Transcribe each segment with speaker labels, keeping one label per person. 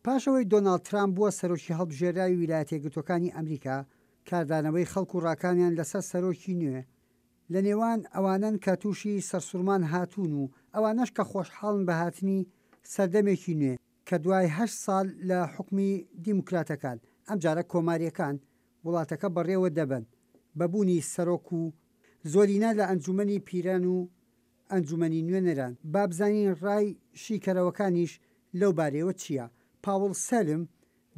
Speaker 1: پاش ئەوەی دۆناڵد ترامپ بووە سەرۆکی هەڵبژێرراوی ویلایەتە یەکگرتووەکانی ئەمریکا، کاردانەوەی خەڵک و ڕاکانیان لەسەر سەرۆکی نوێ، لە نێوان ئەوانەن کە تووشی سەرسوڕمان هاتوون و ئەوانەش کە خۆشحاڵن بە هاتنی سەردەمێکی نوێ کە دوای هەشت ساڵ لە حوکمی دیموکراتەکان، ئەمجارە کۆمارییەکان وڵاتەکە بەڕێوە دەبەن بە بوونی سەرۆک و زۆرینە لە ئەنجوومەنی پیران و ئەنجومەنی نوێنەران، با بزانین ڕای شیکەرەوەکانیش لەو بارەیەوە چییە؟ پاوڵ سەلم،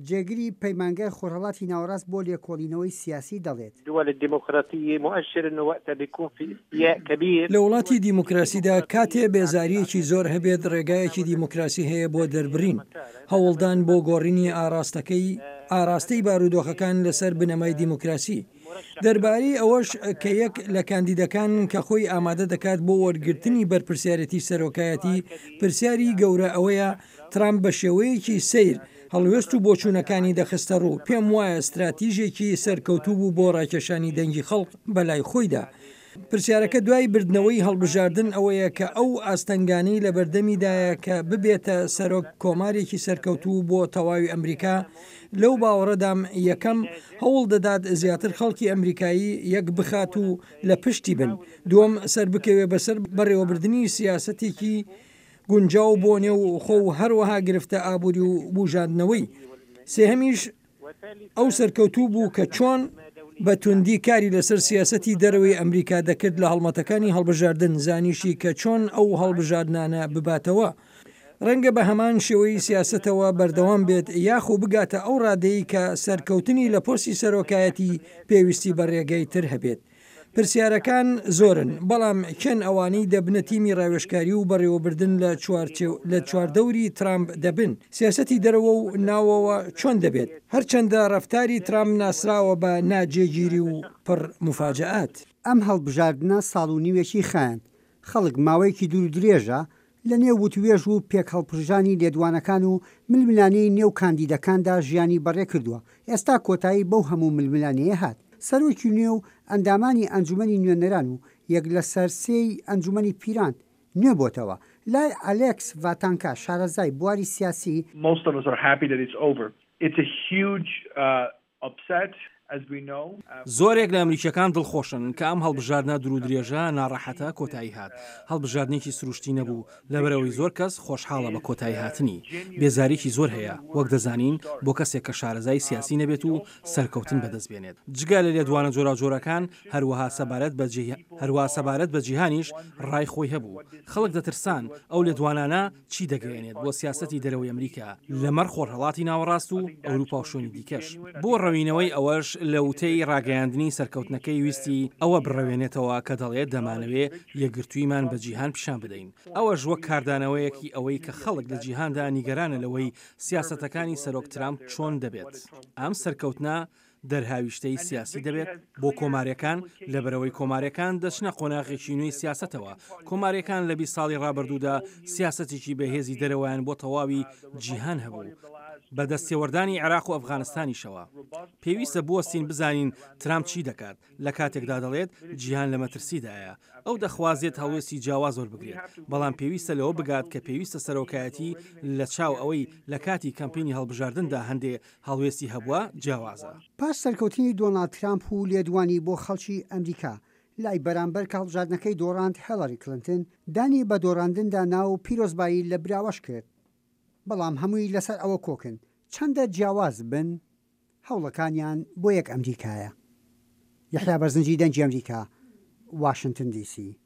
Speaker 1: جێگری پەیمانگای خۆرهەڵاتی ناوەڕاست بۆ لێکۆڵینەوەی سیاسی دەڵێت.
Speaker 2: دول الديمقراطية مؤشر انه وقتها بيكون في استياء كبير.
Speaker 3: لە وڵاتی دیموکراسیدا کاتێ بێزارییەکی زۆر هەبێت ڕێگایەکی دیموکراسی هەیە بۆ دەربڕین، هەوڵدان بۆ گۆڕینی ئاڕاستەکەی ئاراستەی بارودۆخەکان لەسەر بنەمای دیموکراسی. دەربارەی ئەوەش کە یەک لە کاندیدەکان کە خۆی ئامادە دەکات بۆ وەرگرتنی بەرپرسیارێتی سەرۆکایەتی، پرسیاری گەورە ئەوەیە ترامپ بە شێوەیەکی سەیر هەڵوێست و بۆچوونەکانی دەخستەڕوو، پێم وایە ستراتیژێکی سەرکەوتوو بوو بۆ ڕاکێشانی دەنگی خەڵک بەلای خۆیدا. پرسیارەکە دوای بردنەوەی هەڵبژاردن ئەوەیە کە ئەو ئاستەنگانەی لەبەردەمیدایە کە ببێتە سەرۆک کۆمارێکی سەرکەوتوو بۆ تەواوی ئەمریکا، لەو باوەڕەدام یەکەم، هەوڵ دەدات زیاتر خەڵکی ئەمریکایی یەک بخات و لە پشتی بن، دووەم، سەربکەوێ بەسەر بەڕێوەبردنی سیاسەتێکی گونجاو بۆ نێو خۆ و هەروەها گرفتە ئابووری و بوژاندنەوەی، سێهەمیش، ئەو سەرکەوتوو بوو کە چۆن بە توندی کاری لەسەر سیاسەتی دەرەوەی ئەمریکا دەکرد لە هەڵمەتەکانی هەڵبژاردن، زانیشی کە چۆن ئەو هەڵبژاردنانە بباتەوە. ڕەنگە بە هەمان شێوەی سیاسەتەوە بەردەوام بێت یاخو بگاتە ئەو ڕادەی کە سەرکەوتنی لە پۆستی سەرۆکایەتی پێویستی بە ڕێگەی تر هەبێت. پرسیارەکان زۆرن، بەڵام کێن ئەوانەی دەبنە تیمی ڕاوێژکاری و بەڕێوەبردن لە لە چواردەوری ترامپ دەبن؟ سیاسەتی دەرەوە و ناوەوە چۆن دەبێت؟ هەرچەندە ڕەفتاری ترامپ ناسراوە بە ناجێگیری و پڕ موفاجەئات.
Speaker 1: ئەم هەڵبژاردنە ساڵ و نیوێکی خایاند، خەڵک ماوەیەکی دوورودرێژە لە نێو وتوێژ و پێکهەڵپرژانی لێدوانەکان و ململانێی نێو کاندیدەکاندا ژیانی بەڕێکردووە، ئێستا کۆتایی بەو هەموو ململانێیە هات. سەرۆکی نوێ و ئەندامانی ئەنجومەنی نوێنەران و یەک لەسەر سێی ئەنجومەنی پیران نوێ بۆتەوە. لای ئەلێکس ڤاتانکا شارەزای بواری سیاسی،
Speaker 4: Most of us are happy that it's over. It's a huge upset as we know.
Speaker 5: زۆرێک لە ئەمریکییەکان دڵخۆشن کە ئەم هەڵبژاردنە دوورودرێژە ناڕەحەتە کۆتایی هات. هەڵبژاردنێکی سروشتی نەبوو، لەبەرئەوەی زۆر کەس خۆشحاڵە بە کۆتاییهاتنی. بێزاریی زۆر هەیە، وەک دەزانین، بۆ کەسێک کە شارەزای سیاسی نەبێت و سەرکەوتن بەدەست بێنێت. جگە لە لێدوانە جۆراوجۆرەکان، هەروەها سەبارەت بە هەروەها سەبارەت بە جیهانیش ڕای خۆی هەبوو. خەڵک دەترسان ئەو لێدوانانە چی دەگەیەنێت بۆ سیاسەتی دەرەوەی ئەمریکا لەمەڕ خۆرهەڵاتی ناوەڕاست و ئەوروپا و شوێنی دیکەش. بۆ ڕەوینەوەی ئەوەش لە وتەی ڕاگەیاندنی سەرکەوتنەکەی ویستی ئەوە بڕەوێنێتەوە کە دەڵێت دەمانەوێ یەکگرتوویمان بە جیهان پیشان بدەین، ئەوەش وەک کاردانەوەیەکی ئەوەی کە خەڵک لە جیهاندا نیگەرانە لەوەی سیاسەتەکانی سەرۆک ترامپ چۆن دەبێت. ئەم سەرکەوتنە دەرهاویشتەی سیاسی دەبێت بۆ کۆماریەکان، لەبەرئەوەی کۆماریەکان دەچنە قۆناغێکی نوێی سیاسەتەوە، کۆماریەکان لە 20 ساڵی ڕابردوودا سیاسەتێکی بەهێزی دەرەوەیان بۆ تەواوی جیهان هەبوو، بە دەستێوەردانی عێراق و ئەفغانستانیشەوە. پێویستە بوەستین بزانین ترامپ چی دەکات، لە کاتێکدا دەڵێت جیهان لە مەترسیدایە. ئەو دەخوازێت هەڵوێستی جیاواز وەربگرێت، بەڵام پێویستە لەوە بگات کە پێویستە سەرۆکایەتی لە چاو ئەوەی لە کاتی کەمپینی هەڵبژاردندا هەندێ هەڵوێستی هەبووە جیاوازە.
Speaker 1: پاش سەرکەوتنی دۆناڵد ترامپ و لێدوانی بۆ خەڵکی ئەمریکا، لای بەرامبەر کە هەڵبژاردنەکەی دۆڕاند هێڵاری کلنتن دانی بە دۆڕاندندا نا و پیرۆزبایی لە براوەش کرد، بەڵام هەمووی لەسەر ئەوە کۆکن چەندە جیاواز بن هەوڵەکانیان بۆ یەک ئەمریکایە. یەحیا بەرزنجی دەنگی ئەمریکا، واشنتن دی سی.